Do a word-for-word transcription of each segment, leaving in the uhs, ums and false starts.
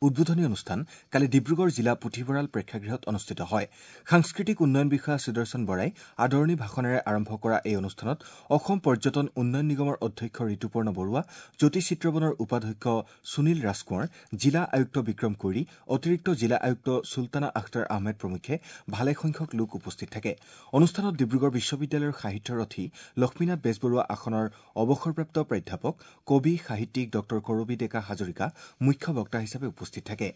উদ্বোধনী অনুষ্ঠান কালি ডিব্ৰুগড় জিলা পুথিভঁৰাল প্ৰেক্ষাগৃহত অনুষ্ঠিত হয়। সাংস্কৃতিক উন্নয়ন বিষয়া সুদৰ্শন বৰাই আদৰণি ভাষণেৰে আৰম্ভ কৰা এই অনুষ্ঠানত অসম পৰ্যটন উন্নয়ন নিগমৰ অধ্যক্ষ ঋতুপৰ্ণ বৰুৱা, জ্যোতি চিত্ৰবনৰ উপাধ্যক্ষ সুনীল ৰাজকোঁৱৰ, জিলা আয়ুক্ত বিক্ৰম কৈৰী, অতিৰিক্ত জিলা আয়ুক্ত চুলতানা আখতাৰ আহমেদ প্ৰমুখ্যে ভালেসংখ্যক লোক উপস্থিত থাকে। অনুষ্ঠানত ডিব্ৰুগড় বিশ্ববিদ্যালয়ৰ সাহিত্যৰথী লক্ষ্মীনাথ বেজবৰুৱা আসনৰ অৱসৰপ্ৰাপ্ত প্ৰাধ্যাপক কবি সাহিত্যিক ডঃ কৰবী ডেকা হাজৰিকা মুখ্য বক্তা হিচাপে উপস্থিত থাকে।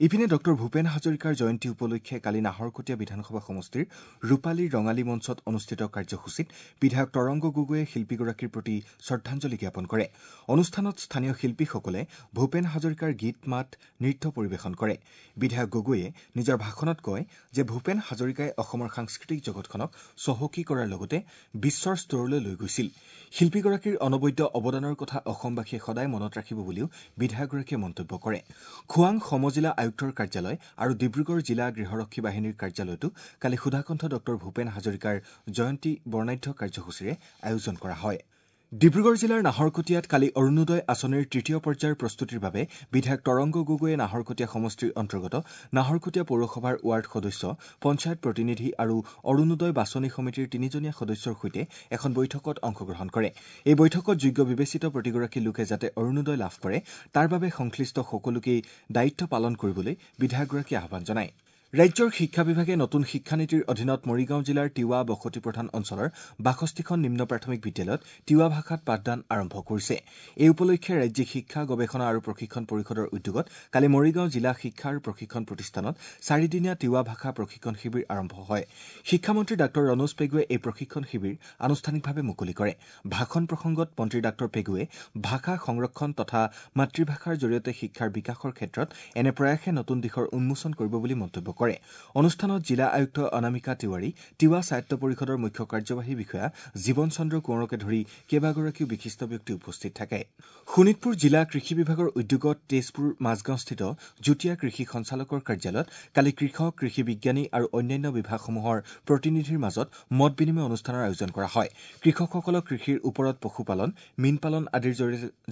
ইপিনে ডঃ ভূপেন হাজৰিকাৰ জয়ন্তী উপলক্ষে কালি নাহৰকটীয়া বিধানসভা সমষ্টিৰ ৰূপালী ৰঙালী মঞ্চত অনুষ্ঠিত কাৰ্যসূচীত বিধায়ক তৰংগ গগৈয়ে শিল্পীগৰাকীৰ প্ৰতি শ্ৰদ্ধাঞ্জলি জ্ঞাপন কৰে। অনুষ্ঠানত স্থানীয় শিল্পীসকলে ভূপেন হাজৰিকাৰ গীত মাত নৃত্য পৰিৱেশন কৰে। বিধায়ক গগৈয়ে নিজৰ ভাষণত কয় যে ভূপেন হাজৰিকাই অসমৰ সাংস্কৃতিক জগতখনক চহকী কৰাৰ লগতে বিশ্বৰ স্তৰলৈ লৈ গৈছিল। শিল্পীগৰাকীৰ অনবদ্য অৱদানৰ কথা অসমবাসীয়ে সদায় মনত ৰাখিব বুলিও বিধায়কগৰাকীয়ে মন্তব্য কৰে। খোৱাং সমজিলা আয়ুক্তৰ কাৰ্যালয় আৰু ডিব্ৰুগড় জিলা গৃহৰক্ষী বাহিনীৰ কাৰ্যালয়তো কালি সুধাকণ্ঠ ডঃ ভূপেন হাজৰিকাৰ জয়ন্তী বৰ্ণাঢ্য কাৰ্যসূচীৰে আয়োজন কৰা হয়। ডিব্ৰুগড় জিলাৰ নাহৰকটীয়াত কালি অৰুণোদয় আঁচনিৰ তৃতীয় পৰ্যায়ৰ প্ৰস্তুতিৰ বাবে বিধায়ক তৰংগ গগৈয়ে নাহৰকটীয়া সমষ্টিৰ অন্তৰ্গত নাহৰকটীয়া পৌৰসভাৰ ৱাৰ্ড সদস্য, পঞ্চায়ত প্ৰতিনিধি আৰু অৰুণোদয় বাছনি সমিতিৰ তিনিজনীয়া সদস্যৰ সৈতে এখন বৈঠকত অংশগ্ৰহণ কৰে। এই বৈঠকত যোগ্য বিবেচিত প্ৰতিগৰাকী লোকে যাতে অৰুণোদয় লাভ কৰে তাৰ বাবে সংশ্লিষ্ট সকলোকেই দায়িত্ব পালন কৰিবলৈ বিধায়কগৰাকীয়ে আহ্বান জনায়। ৰাজ্যৰ শিক্ষা বিভাগে নতুন শিক্ষানীতিৰ অধীনত মৰিগাঁও জিলাৰ তিৱা বসতি প্ৰধান অঞ্চলৰ বাষষ্ঠিখন নিম্ন প্ৰাথমিক বিদ্যালয়ত তিৱা ভাষাত পাঠদান আৰম্ভ কৰিছে। এই উপলক্ষে ৰাজ্যিক শিক্ষা গৱেষণা আৰু প্ৰশিক্ষণ পৰিষদৰ উদ্যোগত কালি মৰিগাঁও জিলা শিক্ষা আৰু প্ৰশিক্ষণ প্ৰতিষ্ঠানত চাৰিদিনীয়া তিৱা ভাষা প্ৰশিক্ষণ শিবিৰ আৰম্ভ হয়। শিক্ষামন্ত্ৰী ডাঃ ৰণোজ পেগুৱে এই প্ৰশিক্ষণ শিবিৰ আনুষ্ঠানিকভাৱে মুকলি কৰে। ভাষণ প্ৰসংগত মন্ত্ৰী ডাঃ পেগুৱে ভাষা সংৰক্ষণ তথা মাতৃভাষাৰ জৰিয়তে শিক্ষাৰ বিকাশৰ ক্ষেত্ৰত এনে প্ৰয়াসে নতুন দিশৰ উন্মোচন কৰিব বুলি মন্তব্য কৰে। অনুষ্ঠানত জিলা আয়ুক্ত অনামিকা তিৱাৰী, তিৱা স্বায়ত্ত পৰিষদৰ মুখ্য কাৰ্যবাহী বিষয়া জীৱন চন্দ্ৰ কোঁৱৰকে ধৰি কেইবাগৰাকীও বিশিষ্ট ব্যক্তি উপস্থিত থাকে। শোণিতপুৰ জিলা কৃষি বিভাগৰ উদ্যোগত তেজপুৰ মাজগাঁওস্থিত যুটীয়া কৃষি সঞ্চালকৰ কাৰ্যালয়ত কালি কৃষক, কৃষি বিজ্ঞানী আৰু অন্যান্য বিভাগসমূহৰ প্ৰতিনিধিৰ মাজত মত বিনিময় অনুষ্ঠানৰ আয়োজন কৰা হয়। কৃষকসকলক কৃষিৰ ওপৰত পশুপালন, মীনপালন আদিৰ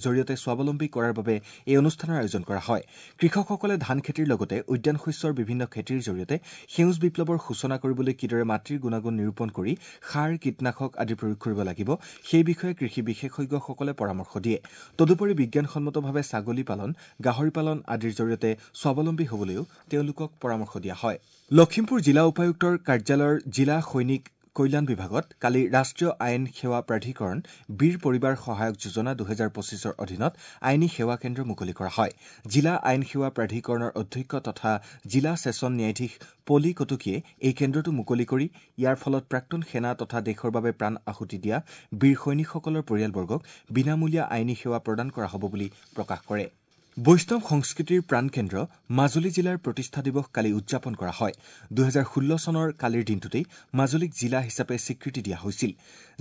জৰিয়তে স্বাৱলম্বী কৰাৰ বাবে এই অনুষ্ঠানৰ আয়োজন কৰা হয়। কৃষকসকলে ধান খেতিৰ লগতে উদ্যান শস্যৰ বিভিন্ন খেতিৰ জৰিয়তে সেউজ বিপ্লৱৰ সূচনা কৰিবলৈ কিদৰে মাটিৰ গুণাগুণ নিৰূপণ কৰি সাৰ, কীটনাশক আদি প্ৰয়োগ কৰিব লাগিব সেই বিষয়ে কৃষি বিশেষজ্ঞসকলে পৰামৰ্শ দিয়ে। তদুপৰি বিজ্ঞানসন্মতভাৱে ছাগলী পালন, গাহৰি পালন আদিৰ জৰিয়তে স্বাৱলম্বী হ'বলৈও তেওঁলোকক পৰামৰ্শ দিয়া হয়। লখিমপুৰ জিলা উপায়ুক্তৰ কাৰ্যালয়ৰ জিলা সৈনিক কল্যাণ বিভাগত কালি ৰাষ্ট্ৰীয় আইন সেৱা প্ৰাধিকৰণ বীৰ পৰিবাৰ সহায়ক যোজনা দুহেজাৰ পঁচিছৰ অধীনত আইনী সেৱা কেন্দ্ৰ মুকলি কৰা হয়। জিলা আইন সেৱা প্ৰাধিকৰণৰ অধ্যক্ষ তথা জিলা ছেছন ন্যায়াধীশ পলি কটকীয়ে এই কেন্দ্ৰটো মুকলি কৰি ইয়াৰ ফলত প্ৰাক্তন সেনা তথা দেশৰ বাবে প্ৰাণ আহুতি দিয়া বীৰ সৈনিকসকলৰ পৰিয়ালবৰ্গক বিনামূলীয়া আইনী সেৱা প্ৰদান কৰা হ'ব বুলি প্ৰকাশ কৰে। বৈষ্ণৱ সংস্কৃতিৰ প্ৰাণকেন্দ্ৰ মাজুলী জিলাৰ প্ৰতিষ্ঠা দিৱস কালি উদযাপন কৰা হয়। দুহেজাৰ ষোল্ল চনৰ কালিৰ দিনটোতেই মাজুলীক জিলা হিচাপে স্বীকৃতি দিয়া হৈছিল।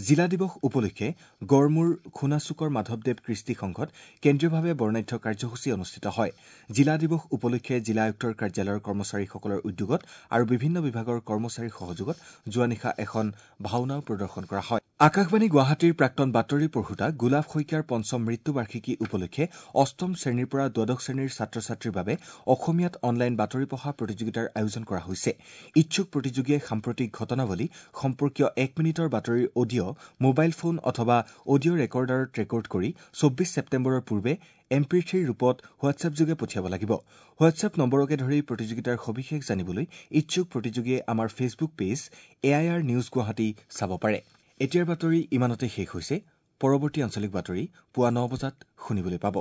জিলা দিৱস উপলক্ষে গড়মূৰ খোনাচুকৰ মাধৱদেৱ কৃষ্টি সংঘত কেন্দ্ৰীয়ভাৱে বৰ্ণাঢ্য কাৰ্যসূচী অনুষ্ঠিত হয়। জিলা দিৱস উপলক্ষে জিলা আয়ুক্তৰ কাৰ্যালয়ৰ কৰ্মচাৰীসকলৰ উদ্যোগত আৰু বিভিন্ন বিভাগৰ কৰ্মচাৰীৰ সহযোগত যোৱা নিশা এখন ভাওনাও প্ৰদৰ্শন কৰা হয়। আকাশবাণী গুৱাহাটীৰ প্ৰাক্তন বাতৰি পঢ়োতা গোলাপ শইকীয়াৰ পঞ্চম মৃত্যুবাৰ্ষিকী উপলক্ষে অষ্টম শ্ৰেণীৰ পৰা দ্বাদশ শ্ৰেণীৰ ছাত্ৰ ছাত্ৰীৰ বাবে অসমীয়াত অনলাইন বাতৰি পঢ়া প্ৰতিযোগিতাৰ আয়োজন কৰা হৈছে। ইচ্ছুক প্ৰতিযোগীয়ে সাম্প্ৰতিক ঘটনাৱলী সম্পৰ্কীয় এক মিনিটৰ বাতৰিৰ অডিঅ' মোবাইল ফোন অথবা অডিঅ' ৰেকৰ্ডাৰত ৰেকৰ্ড কৰি চৌব্বিছ ছেপ্টেম্বৰৰ পূৰ্বে এম পি থ্ৰীৰ ৰূপত হোৱাটছএপযোগে পঠিয়াব লাগিব। হোৱাটছএপ নম্বৰকে ধৰি প্ৰতিযোগিতাৰ সবিশেষ জানিবলৈ ইচ্ছুক প্ৰতিযোগীয়ে আমাৰ Facebook page A I R news Guwahati চাব পাৰে। এতিয়াৰ বাতৰি ইমানতে শেষ হৈছে। পৰৱৰ্তী আঞ্চলিক বাতৰি পুৱা ন বজাত শুনিবলৈ পাব।